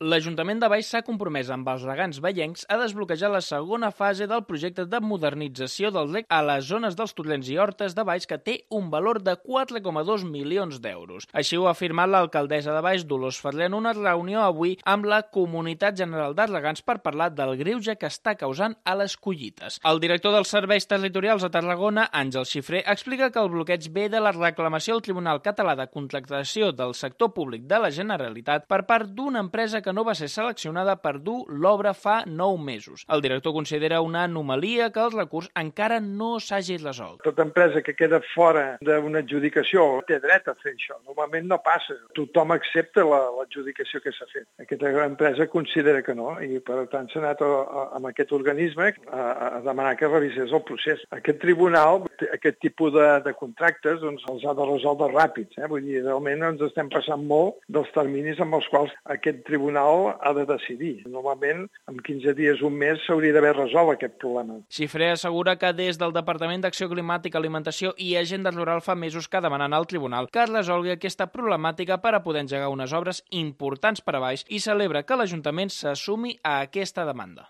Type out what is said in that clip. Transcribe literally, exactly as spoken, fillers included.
L'Ajuntament de Valls s'ha compromès amb els regants vallencs a desbloquejar la segona fase del projecte de modernització del reg a les zones dels Torrents i Hortes de Valls, que té un valor de quatre coma dos milions d'euros. Així ho ha afirmat l'alcaldessa de Valls, Dolors Ferrer, en una reunió avui amb la Comunitat General de Regants per parlar del greuge que està causant a les collites. El director dels Serveis Territorials a Tarragona, Àngel Xifré, explica que el bloqueig ve de la reclamació al Tribunal Català de Contractació del Sector Públic de la Generalitat per part d'una empresa que no va ser seleccionada per dur l'obra fa nou mesos. El director considera una anomalia que el recurs encara no s'hagi resolt. Tota empresa que queda fora d'una adjudicació té dret a fer això. Normalment no passa. Tothom accepta l'adjudicació que s'ha fet. Aquesta empresa considera que no i, per tant, s'ha anat a, a, amb aquest organisme a, a demanar que revisés el procés. Aquest tribunal, aquest tipus de, de contractes, doncs, els ha de resoldre ràpids. Eh? Vull dir, realment ens estem passant molt dels terminis amb els quals aquest tribunal ha de decidir. Normalment, en quinze dies, un mes, s'hauria d'haver resolt aquest problema. Xifré assegura que des del Departament d'Acció Climàtica, Alimentació i Agenda Rural fa mesos que demanen al tribunal que es resolgui aquesta problemàtica per a poder engegar unes obres importants per a Valls i celebra que l'Ajuntament s'assumi a aquesta demanda.